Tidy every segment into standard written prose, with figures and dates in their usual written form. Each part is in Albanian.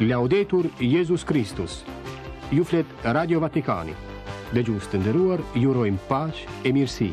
Laudetur Jezus Kristus. Ju flet Radio Vatikani. Dëgjues të nderuar, ju urojmë paqe e mirësi.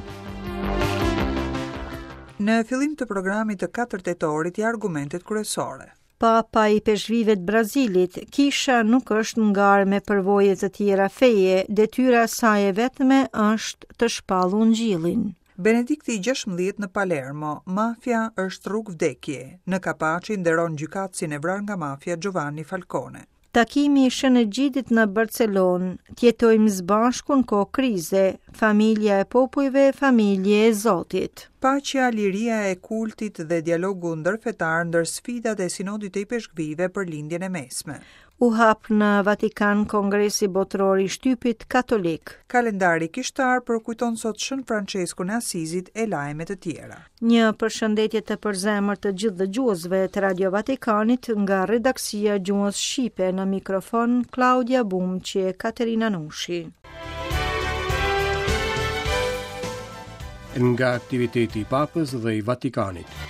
Në fillim të programit të 4 tetorit ja argumentet kryesore. Papa i ipeshkvijve të Brazilit, kisha nuk është në garë me përvoje të tjera feje, detyra e saj e vetme është të shpallë ungjillin. Benedikti i 16 në Palermo, mafia është rrugë vdekje. Në Kapaçi nderon gjykatësin e vrarë nga mafia Giovanni Falcone. Takimi i Shën Egjidit në Barcelonë, të jetojmë së bashku në kohë krize, familja e popujve, familje e Zotit. Paqja, liria e kultit dhe dialogu ndërfetar ndër sfidat e Sinodit të Ipeshkvijve për Lindjen e Mesme. U hap në Vatikan Kongresi Botëror i Shtypit Katolik. Kalendari kishtar përkujton sot Shën Françeskun e Asizit e lajme të tjera. Një përshëndetje të përzemërt të gjithë dëgjuesve të Radio Vatikanit nga redaksia e gjuhës shqipe në mikrofon Klaudia Bumçi e Katerina Nushi. Nga aktiviteti i Papës dhe i Vatikanit.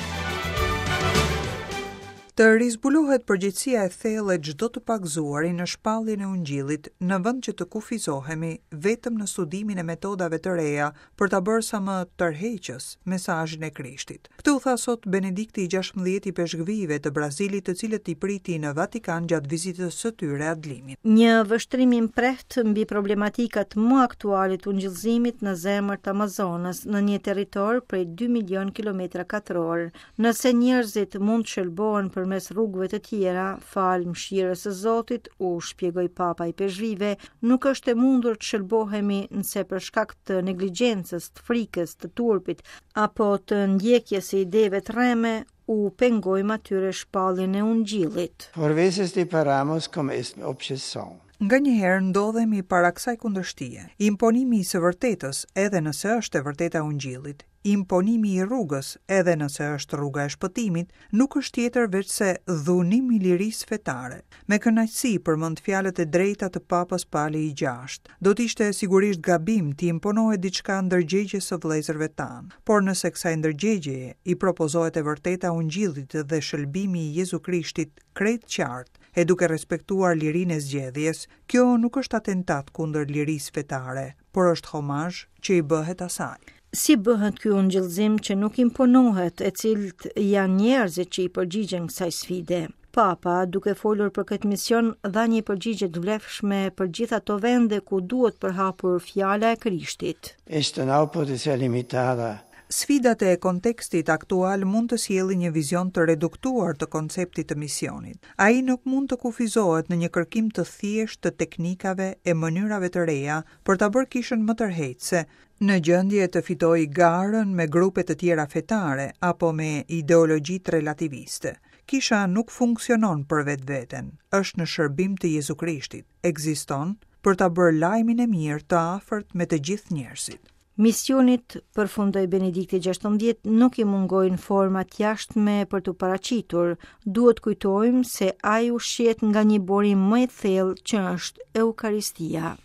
Të rizbulohet përgjegjësia e thellë e çdo të pagëzuari në shpalljen e Ungjillit, në vend që të kufizohemi vetëm në studimin e metodave të reja për ta bërë sa më tërheqës mesazhin e Krishtit. Këtë u tha sot Benedikti i 16 i ipeshkvijve të Brazilit, të cilët i priti në Vatikan gjatë vizitës së tyre At Limin. Një vështrim i mprehtë mbi problematikat më aktuale të ungjillëzimit në zemër të Amazonës, në një territor prej 2 milion kilometra katrorë, Nëse njerëzit mund të shëlbohen përmes rrugëve të tjera, falë mëshirës së Zotit, u shpjegoi Papa ipeshkvijve, nuk është e mundur të shëlbohemi nëse për shkak të neglizhencës, të frikës, të turpit apo të ndjekjes së ideve të rreme, u pengojmë atyre shpalljen e ungjillit. Por veces deparamos con esta objeción. Nganjëherë ndodhemi para kësaj kundërshtie, imponimi i së vërtetës, edhe nëse është e vërteta e ungjillit, Imponimi i rrugës, edhe nëse është rruga e shpëtimit, nuk është tjetër veçse dhunim i lirisë fetare. Me kënaqësi përmend fjalët e drejta të Papës Pali i Gjashtë. Do të ishte sigurisht gabim t'i imponohet diçka ndërgjegjes së vëllezërve tanë. Por nëse kësaj ndërgjegjeje i propozohet e vërteta e Ungjillit dhe shëlbimi i Jezu Krishtit krejt qartë e duke respektuar lirinë e zgjedhjes, kjo nuk është atentat kundër lirisë fetare, por është homazh që i bëhet asaj. Si bëhet ky ungjillëzim që nuk imponohet e cilët janë njerëzit që i përgjigjen kësaj sfide? Papa, duke folur për këtë mision, dha një përgjigje të vlefshme për gjithë ato vende ku duhet përhapur fjala e Krishtit. Esto no puede ser limitada Sfidat e kontekstit aktual mund të sjellin një vizion të reduktuar të konceptit të misionit. Ai nuk mund të kufizohet në një kërkim të thjeshtë të teknikave e mënyrave të reja për ta bërë kishën më tërheqëse, në gjendje të fitojë garën me grupe të tjera fetare apo me ideologjitë relativiste. Kisha nuk funksionon për vetveten, është në shërbim të Jezu Krishtit, ekziston për ta bërë lajmin e mirë të afërt me të gjithë njerëzit. Misionit, përfundoi Benedikti 16, nuk i mungojnë format e jashtme për t'u paraqitur. Duhet kujtojmë se ai ushqehet nga një burim më i thellë që është Eukaristia.